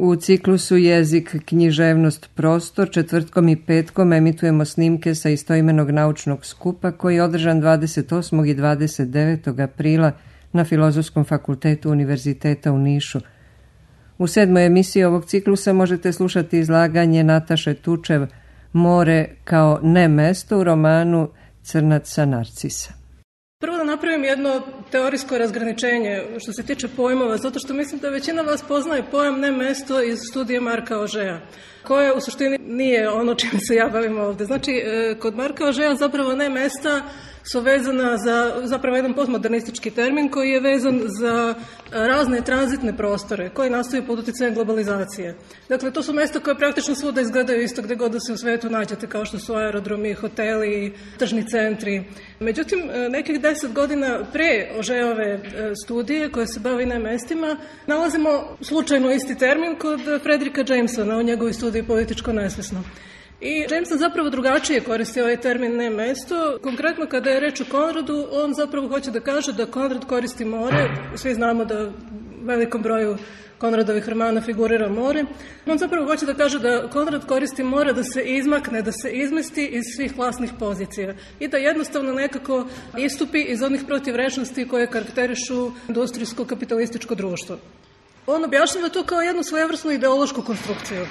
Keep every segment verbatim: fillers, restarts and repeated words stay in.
U ciklusu Jezik, književnost, prostor četvrtkom i petkom emitujemo snimke sa istoimenog naučnog skupa koji je održan dvadeset osmog i dvadeset devetog aprila na Filozofskom fakultetu Univerziteta u Nišu. U sedmoj emisiji ovog ciklusa možete slušati izlaganje Nataše Tučev More kao ne mesto u romanu Crnac sa Narcisa. Prvo da napravim jedno teorijsko razgraničenje što se tiče pojmova, zato što mislim da većina vas poznaje pojam ne mesto iz studije Marka Ožeja, koje u suštini nije ono čime se ja bavim ovde. Znači, kod Marka Ožeja zapravo ne mesta su vezana za zapravo jedan postmodernistički termin koji je vezan za razne tranzitne prostore koji nastaju pod uticajem globalizacije. Dakle, to su mesta koje praktično svuda izgledaju isto gde god da se u svetu nađete, kao što su aerodromi, hoteli, tržni centri. Međutim, nekih deset godina pre Ožejove studije koje se bavi ne mestima, nalazimo slučajno isti termin kod Fredrika Jamesona u njegovoj studiji Političko nesvesno. I Jameson zapravo drugačije koristi ovaj termin ne mesto. Konkretno kada je reč o Konradu, on zapravo hoće da kaže da Konrad koristi more. Svi znamo da u velikom broju Konradovih romana figurira more. On zapravo hoće da kaže da Konrad koristi more da se izmakne, da se izmesti iz svih vlasnih pozicija i da jednostavno nekako istupi iz onih protivrečnosti koje karakterišu industrijsko-kapitalističko društvo. On objašnjava to kao jednu svojevrsnu ideološku konstrukciju.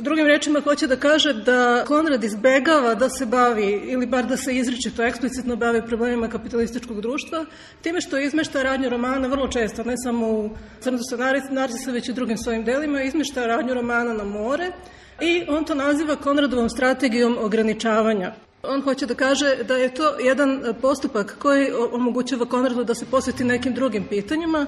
Drugim rečima hoće da kaže da Konrad izbegava da se bavi, ili bar da se izričito, eksplicitno bavi problemima kapitalističkog društva, time što izmešta radnju romana vrlo često, ne samo u Crncu sa Narcisa, već i drugim svojim delima, izmešta radnju romana na more i on to naziva Konradovom strategijom ograničavanja. On hoće da kaže da je to jedan postupak koji omogućava Konradu da se posveti nekim drugim pitanjima.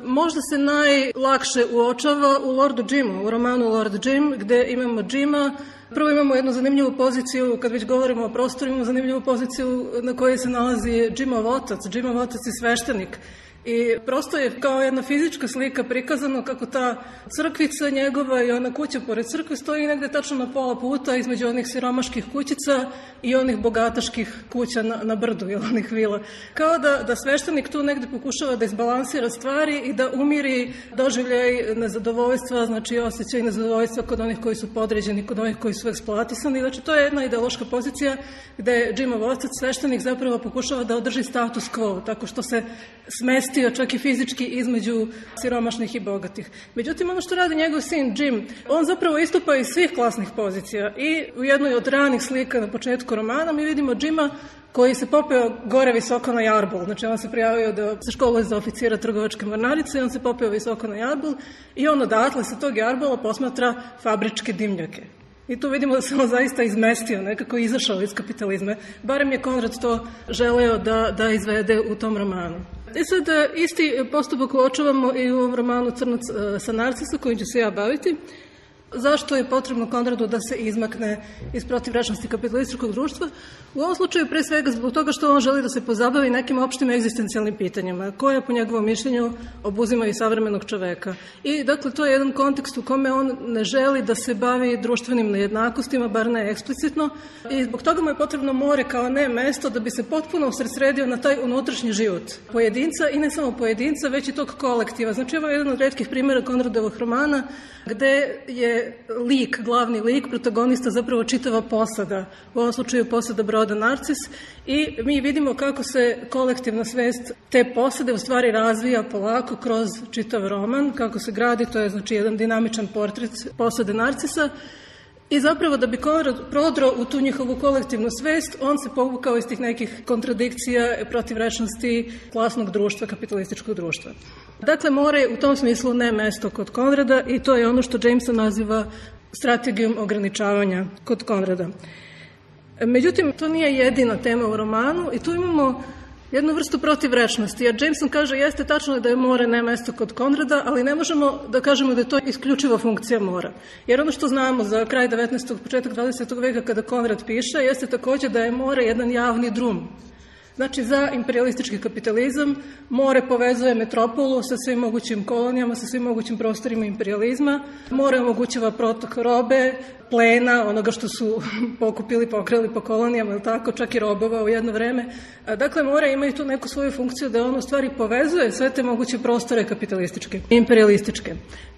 Možda se najlakše uočava u Lordu Jimu, u romanu Lord Jim, gde imamo Jima. Prvo imamo jednu zanimljivu poziciju, kad već govorimo o prostoru, imamo zanimljivu poziciju na kojoj se nalazi Jimov otac. Jimov otac je sveštenik. I prosto je kao jedna fizička slika prikazano kako ta crkvica njegova i ona kuća pored crkve stoji negde tačno na pola puta između onih siromaških kućica i onih bogataških kuća na, na brdu, ili onih vila. Kao da, da sveštenik tu negde pokušava da izbalansira stvari i da umiri doživljaj nezadovoljstva, znači osjećaj nezadovoljstva kod onih koji su podređeni, kod onih koji su eksploatisani. Znači, to je jedna ideološka pozicija gde Jimov otac, sveštenik, zapravo pokušava da održi status quo, tako što se smesti čak i fizički između siromašnih i bogatih. Međutim, ono što radi njegov sin Jim, on zapravo istupa iz svih klasnih pozicija i u jednoj od ranih slika na početku romana mi vidimo Jima koji se popeo gore visoko na jarbol. Znači, on se prijavio da se školuje za oficira trgovačke mornarice i on se popeo visoko na jarbol i on odatle sa tog jarbola posmatra fabričke dimnjake. I tu vidimo da se on zaista izmestio, nekako izašao iz kapitalizma. Barem je Konrad to želeo da, da izvede u tom romanu. I sad isti postupak uočavamo i u ovom romanu Crnac sa Narcisa, kojim ću se ja baviti. Zašto je potrebno Konradu da se izmakne iz protivrečnosti kapitalističkog društva? U ovom slučaju pre svega zbog toga što on želi da se pozabavi nekim opštim egzistencijalnim pitanjima, koje po njegovom mišljenju obuzimaju savremenog čoveka. I dakle, to je jedan kontekst u kome on ne želi da se bavi društvenim nejednakostima, bar ne eksplicitno, i zbog toga mu je potrebno more kao ne mesto da bi se potpuno usredsredio na taj unutrašnji život pojedinca i ne samo pojedinca, već i tog kolektiva. Znači, ovo je jedan od retkih primjera Konradovog romana gde je lik, glavni lik, protagonista zapravo čitava posada, u ovom slučaju posada broda Narcis, i mi vidimo kako se kolektivna svest te posade u stvari razvija polako kroz čitav roman, kako se gradi, to je znači jedan dinamičan portret posade Narcisa. I zapravo da bi Konrad prodro u tu njihovu kolektivnu svest, on se povukao iz tih nekih kontradikcija, protivrečnosti klasnog društva, kapitalističkog društva. Dakle, more je u tom smislu ne mesto kod Konrada i to je ono što Jameson naziva strategijom ograničavanja kod Konrada. Međutim, to nije jedina tema u romanu i tu imamo jednu vrstu protivrečnosti, jer Jameson kaže jeste tačno da je more ne mesto kod Konrada, ali ne možemo da kažemo da je to isključiva funkcija mora. Jer ono što znamo za kraj devetnaestog. početak dvadesetog veka kada Konrad piše, jeste takođe da je more jedan javni drum. Znači, za imperialistički kapitalizam more povezuje metropolu sa svim mogućim kolonijama, sa svim mogućim prostorima imperializma. More omogućava protok robe, plena, onoga što su pokupili, pokrali po kolonijama, ili tako, čak i robova u jedno vreme. Dakle, more ima i tu neku svoju funkciju da on u stvari povezuje sve te moguće prostore kapitalističke, imperialističke.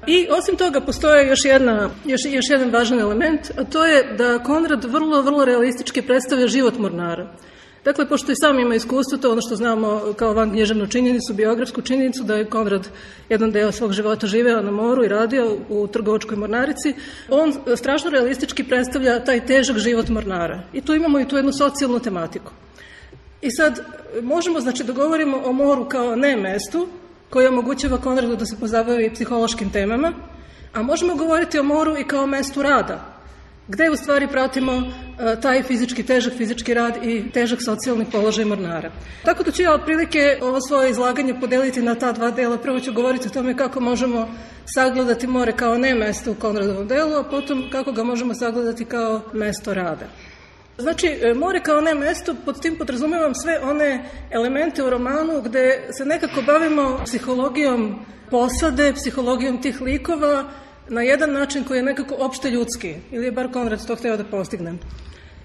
I osim toga postoje još, jedna, još, još jedan važan element, a to je da Konrad vrlo, vrlo realistički predstavlja život mornara. Dakle, pošto i sam ima iskustvo, to ono što znamo kao vanknjiževnu činjenicu, biografsku činjenicu, da je Konrad jedan deo svog života živeo na moru i radio u trgovačkoj mornarici, on strašno realistički predstavlja taj težak život mornara. I tu imamo i tu jednu socijalnu tematiku. I sad možemo, znači, da govorimo o moru kao ne mestu, koji omogućava Konradu da se pozabavi psihološkim temama, a možemo govoriti o moru i kao mestu rada, gde u stvari pratimo taj fizički, težak fizički rad i težak socijalni položaj mornara. Tako da ću ja otprilike ovo svoje izlaganje podeliti na ta dva dela. Prvo ću govoriti o tome kako možemo sagledati more kao ne mesto u Konradovom delu, a potom kako ga možemo sagledati kao mesto rada. Znači, more kao ne mesto, pod tim podrazumevam sve one elemente u romanu gde se nekako bavimo psihologijom posade, psihologijom tih likova, na jedan način koji je nekako opšte ljudski, ili je bar Konrad to hteo da postigne.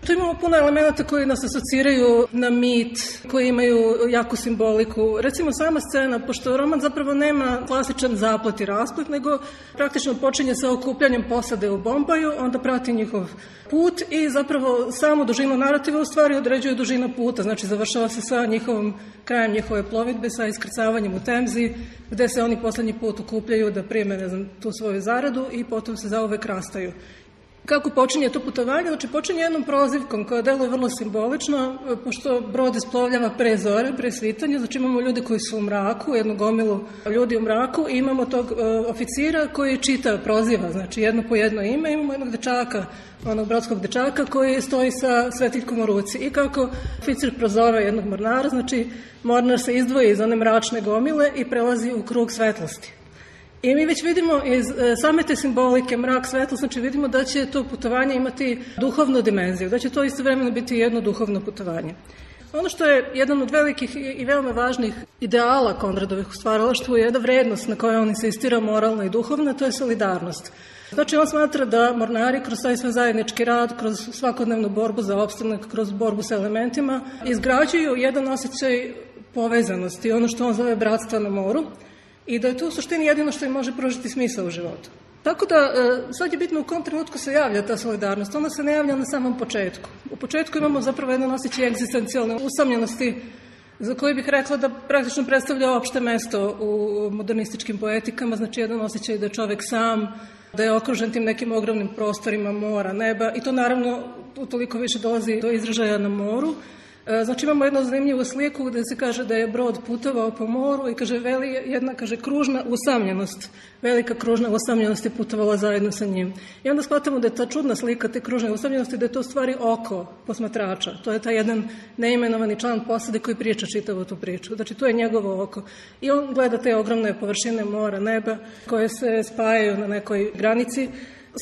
Tu imamo puno elemenata koji nas asociraju na mit, koji imaju jaku simboliku. Recimo sama scena, pošto roman zapravo nema klasičan zaplet i rasplet, nego praktično počinje sa okupljanjem posade u Bombaju, onda prati njihov put i zapravo samu dužinu narativa u stvari određuje dužina puta, znači završava se sa njihovom, krajem njihove plovidbe, sa iskrcavanjem u Temzi, gde se oni poslednji put okupljaju da prime, ne znam, tu svoju zaradu i potom se zauvek rastaju. Kako počinje to putovanje? Znači, počinje jednom prozivkom koja deluje vrlo simbolično, pošto brod isplovljava pre zore, pre svitanja, znači imamo ljude koji su u mraku, jednu gomilu ljudi u mraku i imamo tog uh, oficira koji čita, proziva, znači jedno po jedno ime, imamo jednog dečaka, onog brodskog dečaka koji stoji sa svetiljkom u ruci i kako oficir prozove jednog mornara, znači mornar se izdvoji iz one mračne gomile i prelazi u krug svetlosti. I mi već vidimo iz same te simbolike, mrak, svetlost, znači vidimo da će to putovanje imati duhovnu dimenziju, da će to istovremeno biti jedno duhovno putovanje. Ono što je jedan od velikih i veoma važnih ideala Konradovih u stvaralaštvu je jedna vrednost na kojoj on insistira, moralna i duhovna, to je solidarnost. Znači, on smatra da mornari kroz taj svoj zajednički rad, kroz svakodnevnu borbu za opstanak, kroz borbu sa elementima, izgrađuju jedan osjećaj povezanosti, ono što on zove bratstva na moru, i da je to u suštini jedino što im može pružiti smisao u životu. Tako da, sad je bitno u kom trenutku se javlja ta solidarnost. Ona se ne javlja na samom početku. U početku imamo zapravo jedan osjećaj egzistencijalne usamljenosti, za koji bih rekla da praktično predstavlja opšte mesto u modernističkim poetikama, znači jedan osjećaj da je čovek sam, da je okružen tim nekim ogromnim prostorima mora, neba, i to naravno utoliko više dolazi do izražaja na moru. Znači imamo jednu zanimljivu sliku gde se kaže da je brod putovao po moru i kaže veli jedna, kaže, kružna usamljenost, velika kružna usamljenost je putovala zajedno sa njim. I onda shvatamo da je ta čudna slika te kružne usamljenosti, da je to u stvari oko posmatrača. To je taj jedan neimenovani član posade koji priča čitavu tu priču. Znači to je njegovo oko. I on gleda te ogromne površine mora, neba koje se spajaju na nekoj granici.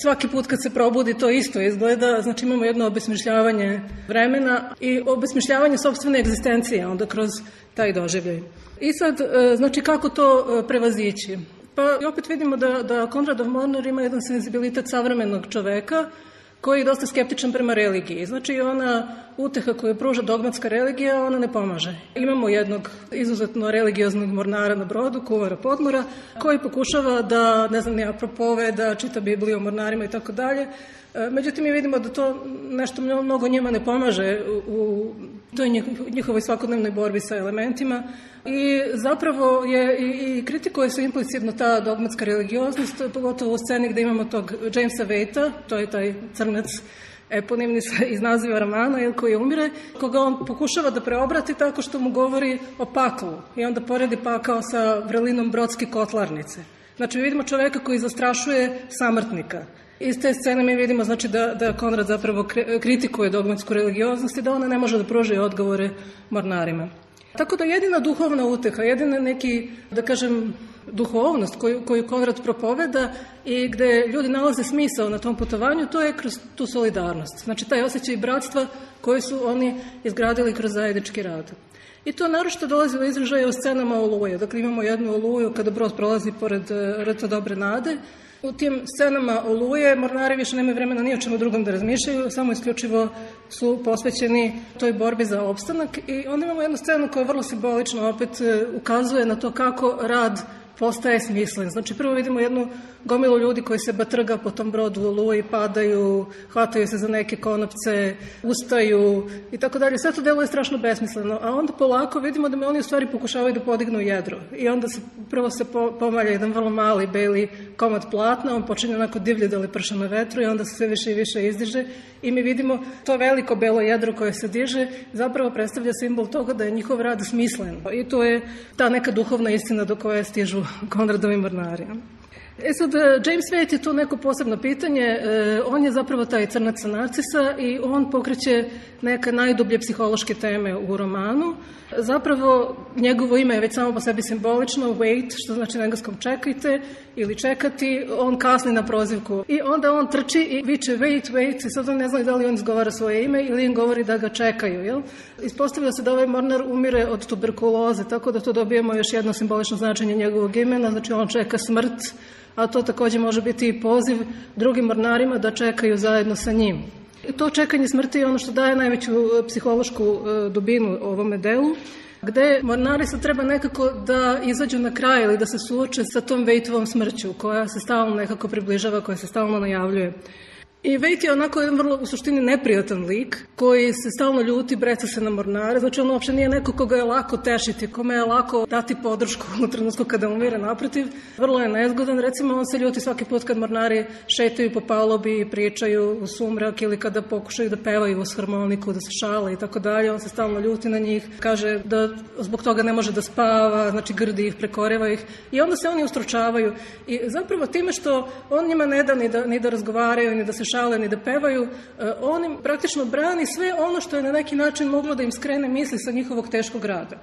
Svaki put kad se probudi to isto izgleda, znači imamo jedno obesmišljavanje vremena i obesmišljavanje sopstvene egzistencije onda kroz taj doživljaj. I sad, znači kako to prevazići? Pa opet vidimo da, da Konradov mornar ima jedan senzibilitet savremenog čoveka koji je dosta skeptičan prema religiji. Znači ona uteha koju pruža dogmatska religija, ona ne pomaže. Imamo jednog izuzetno religioznog mornara na brodu, kuvara Podmora, koji pokušava da, ne znam, nija propove, da čita Bibliju o mornarima i tako dalje. Međutim, mi vidimo da to nešto mnogo njima ne pomaže u toj njihovoj svakodnevnoj borbi sa elementima i zapravo je i kritikuje se implicitno ta dogmatska religioznost, pogotovo u sceni gde imamo tog Jamesa Waita, to je taj crnac eponimni iz naziva romana, koji umire, koga on pokušava da preobrati tako što mu govori o paklu i onda poredi pakao sa vrelinom brodske kotlarnice. Znači, vidimo čoveka koji zastrašuje samrtnika. Iz te scene mi vidimo, znači, da, da Konrad zapravo kritikuje dogmatsku religioznost i da ona ne može da pruži odgovore mornarima. Tako da jedina duhovna uteha, jedina neki, da kažem, duhovnost koju, koju Konrad propoveda i gde ljudi nalaze smisao na tom putovanju, to je kroz tu solidarnost. Znači, taj osjećaj bratstva koji su oni izgradili kroz zajednički rad. I to naročito dolazi do izražaja u scenama Oluje. Dakle, imamo jednu Oluju kada brod prolazi pored rta Dobre nade. U tim scenama Oluje mornari više nemaju vremena ni o čemu drugom da razmišljaju, samo isključivo su posvećeni toj borbi za opstanak. I onda imamo jednu scenu koja vrlo simbolično opet ukazuje na to kako rad postaje smislen. Znači, prvo vidimo jednu gomilu ljudi koji se batrga po tom brodu u Oluji, padaju, hvataju se za neke konopce, ustaju i tako dalje. Sve to deluje strašno besmisleno, a onda polako vidimo da me oni u stvari pokušavaju da podignu jedro. I onda se prvo se pomalja jedan vrlo mali beli komad platna, on počinje onako divlje da leprša na vetru i onda se sve više i više izdiže i mi vidimo to veliko belo jedro koje se diže zapravo predstavlja simbol toga da je njihov rad smislen. I to je ta neka duhovna istina do koje stižu Konradovi mornari. E sad, James Waite je to neko posebno pitanje, e, on je zapravo taj crnac sa Narcisa i on pokreće neke najdublje psihološke teme u romanu. Zapravo, njegovo ime je već samo po sebi simbolično, wait, što znači na engleskom čekajte ili čekati, on kasni na prozivku. I onda on trči i viče wait, wait, i sad on ne zna da li on izgovara svoje ime ili im govori da ga čekaju. Jel? Ispostavilo se da ovaj mornar umire od tuberkuloze, tako da to dobijemo još jedno simbolično značenje njegovog imena, znači on čeka smrt, a to također može biti i poziv drugim mornarima da čekaju zajedno sa njim. To čekanje smrti je ono što daje najveću psihološku dubinu ovome delu, gde mornari sad treba nekako da izađu na kraj ili da se suoče sa tom Waiteovom smrću koja se stalno nekako približava, koja se stalno najavljuje. I Waite je onako jedan vrlo u suštini neprijatan lik koji se stalno ljuti, breca se na mornare, znači on uopšte nije neko koga je lako tešiti, kome je lako dati podršku u trenutku kada umire, naprotiv. Vrlo je nezgodan, recimo on se ljuti svaki put kad mornari šetaju po palobi i pričaju u sumrak ili kada pokušaju da pevaju uz harmoniku, da se šale i tako dalje, on se stalno ljuti na njih, kaže da zbog toga ne može da spava, znači grdi ih, prekoreva ih i onda se oni ustručavaju i zapravo time što on njima ne da ni da, ni da razgovaraju, ni da se šale, ni da pevaju, on im praktično brani sve ono što je na neki način moglo da im skrene misli sa njihovog teškog rada.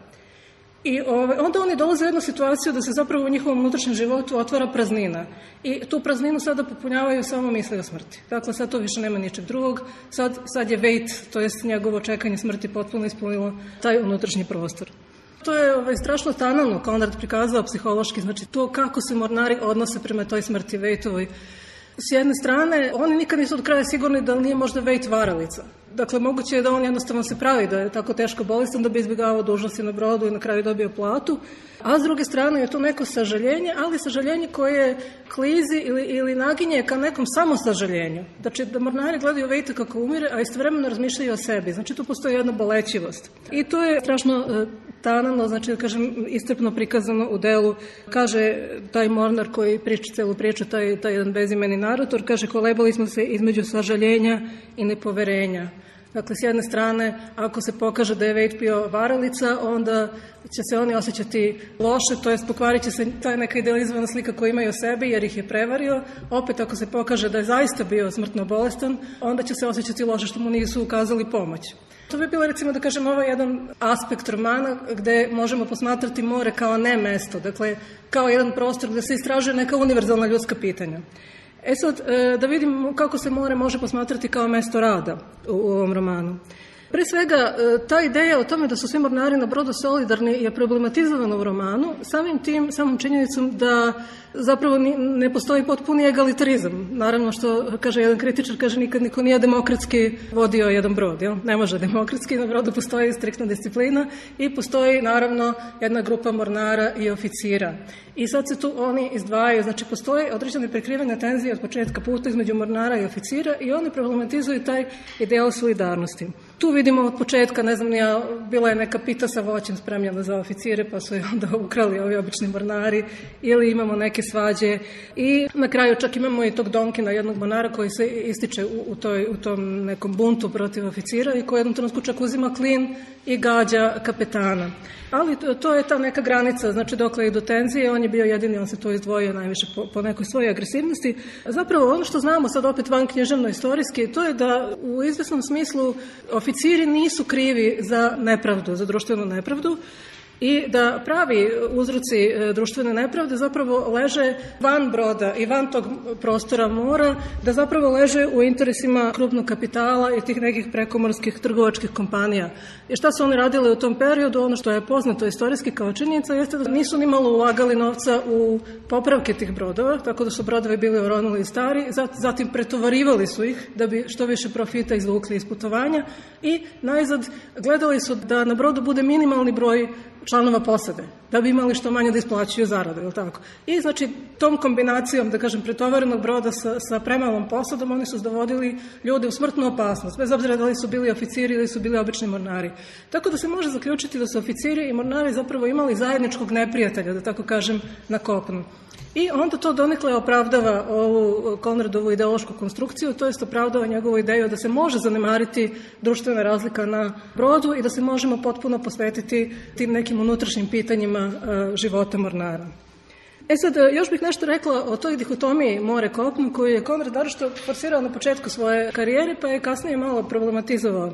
I ovaj, onda oni dolaze u jednu situaciju da se zapravo u njihovom unutrašnjem životu otvara praznina. I tu prazninu sada popunjavaju samo misli o smrti. Dakle, sad to više nema ničeg drugog. Sad, sad je Waite, to jest njegovo čekanje smrti potpuno ispunilo taj unutrašnji prostor. To je ovaj, strašno tanano Konrad prikazao psihološki, znači to kako se mornari odnose prema toj smrti Waiteovoj. S jedne strane, oni nikad nisu od kraja sigurni da li nije možda Waite varalica. Dakle, moguće je da on jednostavno se pravi da je tako teško bolestan da bi izbjegavao dužnosti na brodu i na kraju dobio platu. A s druge strane je to neko sažaljenje, ali sažaljenje koje klizi ili, ili naginje ka nekom samosažaljenju. Znači, da mornari gledaju Waite kako umire, a istovremeno razmišljaju o sebi. Znači, tu postoji jedna bolećivost. I to je strašno e, tanano, znači, da kažem, iscrpno prikazano u delu. Kaže taj mornar koji priča celu priču, taj, taj jedan bezimeni narator, kaže, kolebali smo se između sažaljenja i nepoverenja. Dakle, s jedne strane, ako se pokaže da je Waite bio varalica, onda će se oni osjećati loše, to jest pokvarit će se ta neka idealizovana slika koju imaju o sebi, jer ih je prevario. Opet, ako se pokaže da je zaista bio smrtno bolestan, onda će se osjećati loše što mu nisu ukazali pomoć. To bi bilo, recimo, da kažem, ovo jedan aspekt romana gde možemo posmatrati more kao ne mesto, dakle, kao jedan prostor gde se istražuje neka univerzalna ljudska pitanja. E sad, da vidimo kako se more može posmatrati kao mesto rada u ovom romanu. Pre svega, ta ideja o tome da su svi mornari na brodu solidarni je problematizovana u romanu, samim tim, samom činjenicom da zapravo ne postoji potpuni egalitarizam. Naravno što, kaže jedan kritičar, kaže nikad niko nije demokratski vodio jedan brod. Jel? Ne može demokratski, na brodu postoji striktna disciplina i postoji naravno jedna grupa mornara i oficira. I sad se tu oni izdvajaju, znači postoji određene prekrivene tenzije od početka puta između mornara i oficira i oni problematizuju taj ideal solidarnosti. Tu vidimo od početka, ne znam, ja, bila je neka pita sa voćem spremljena za oficire, pa su je onda ukrali ovi obični mornari, ili imamo neke svađe i na kraju čak imamo i tog Donkina, jednog mornara koji se ističe u, u, toj, u tom nekom buntu protiv oficira i koji jednom trenutku čak uzima klin i gađa kapetana. Ali to, to je ta neka granica, znači dokle i do tenzije, on je bio jedini, on se to izdvojio najviše po, po nekoj svojoj agresivnosti. Zapravo ono što znamo sad opet van književno istorijski, to je da u izvesnom smislu oficiri nisu krivi za nepravdu, za društvenu nepravdu, i da pravi uzroci društvene nepravde zapravo leže van broda i van tog prostora mora, da zapravo leže u interesima krupnog kapitala i tih nekih prekomorskih trgovačkih kompanija. I šta su oni radili u tom periodu? Ono što je poznato istorijski kao činjenica jeste da nisu ni malo ulagali novca u popravke tih brodova, tako da su brodovi bili oronuli i stari, zatim pretovarivali su ih da bi što više profita izvukli iz putovanja i najzad gledali su da na brodu bude minimalni broj članova posade, da bi imali što manje da isplaćuju zaradu, ili tako. I znači tom kombinacijom, da kažem, pretovarenog broda sa, sa premalom posadom, oni su dovodili ljude u smrtnu opasnost, bez obzira da li su bili oficiri ili su bili obični mornari. Tako da se može zaključiti da su oficiri i mornari zapravo imali zajedničkog neprijatelja, da tako kažem, na kopnu. I onda to donekle opravdava ovu Konradovu ideološku konstrukciju, to jest opravdava njegovu ideju da se može zanemariti društvena razlika na brodu i da se možemo potpuno posvetiti tim nekim unutrašnjim pitanjima života mornara. E sad, još bih nešto rekla o toj dihotomiji more-kopno koju je Konrad naročito forsirao na početku svoje karijere, pa je kasnije malo problematizovao.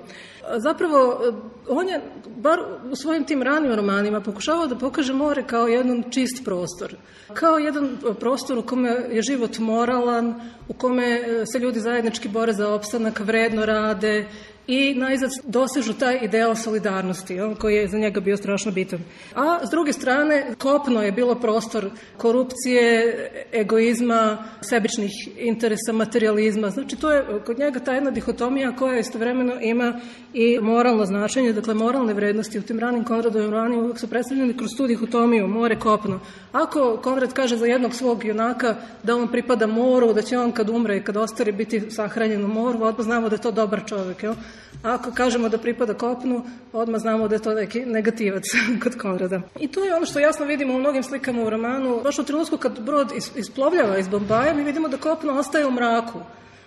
Zapravo, on je, bar u svojim tim ranim romanima, pokušavao da pokaže more kao jedan čist prostor. Kao jedan prostor u kome je život moralan, u kome se ljudi zajednički bore za opstanak, vredno rade i najzad dosežu taj ideal solidarnosti, koji je za njega bio strašno bitan. A s druge strane, kopno je bilo prostor korupcije, egoizma, sebičnih interesa, materializma. Znači, to je kod njega ta jedna dihotomija koja istovremeno ima i moralno značenje, dakle moralne vrednosti u tim ranim Konradovim romanima uvijek su predstavljeni kroz tu dihotomiju, more, kopno. Ako Konrad kaže za jednog svog junaka da on pripada moru, da će on kad umre i kad ostari biti sahranjen u moru, odmah znamo da je to dobar čovjek, jel? A ako kažemo da pripada kopnu, odmah znamo da je to neki negativac kod Konrada. I to je ono što jasno vidimo u mnogim slikama u romanu. Baš u trenutku kad brod isplovljava iz Bombaja, mi vidimo da kopno ostaje u mraku.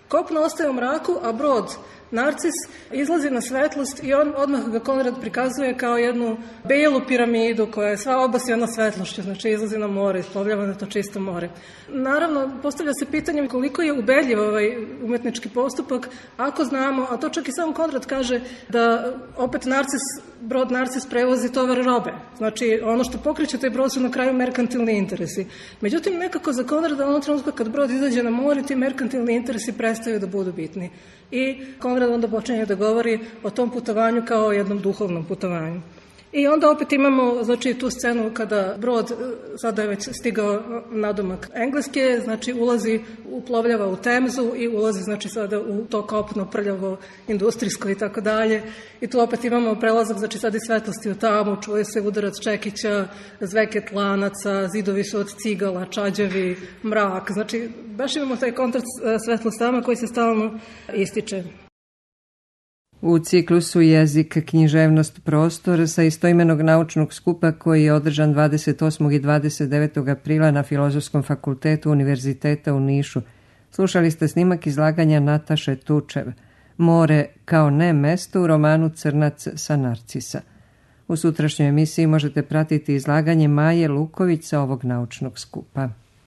Kopno ostaje u mraku, a brod Narcis izlazi na svetlost i on odmah ga Konrad prikazuje kao jednu belu piramidu koja je sva obasjana svetlošću, znači izlazi na more, isplovljava na to čisto more. Naravno, postavlja se pitanje koliko je ubedljiv ovaj umetnički postupak, ako znamo, a to čak i sam Konrad kaže da opet Narcis, brod Narcis prevozi tovar robe. Znači, ono što pokreće taj brod su na kraju merkantilni interesi. Međutim, nekako za Konrada ono trenutku kad brod izađe na more, ti merkantilni interesi prestaju da budu bitni. I Konrad onda počinje da govori o tom putovanju kao o jednom duhovnom putovanju. I onda opet imamo, znači, tu scenu kada brod, sada je već stigao nadomak Engleske, znači ulazi, uplovljava u Temzu i ulazi, znači, sada u to kopno, prljavo, industrijsko i tako dalje. I tu opet imamo prelazak, znači, sada i svetlosti u tamu, čuje se udarac čekića, zveket lanaca, zidovi su od cigala, čađavi, mrak. Znači, baš imamo taj kontrast svetlost tama koji se stalno ističe. U ciklusu Jezik, književnost, prostor sa istoimenog naučnog skupa koji je održan dvadeset osmog i dvadeset devetog aprila na Filozofskom fakultetu Univerziteta u Nišu. Slušali ste snimak izlaganja Nataše Tučev, More kao ne mesto u romanu Crnac sa Narcisa. U sutrašnjoj emisiji možete pratiti izlaganje Maje Luković sa ovog naučnog skupa.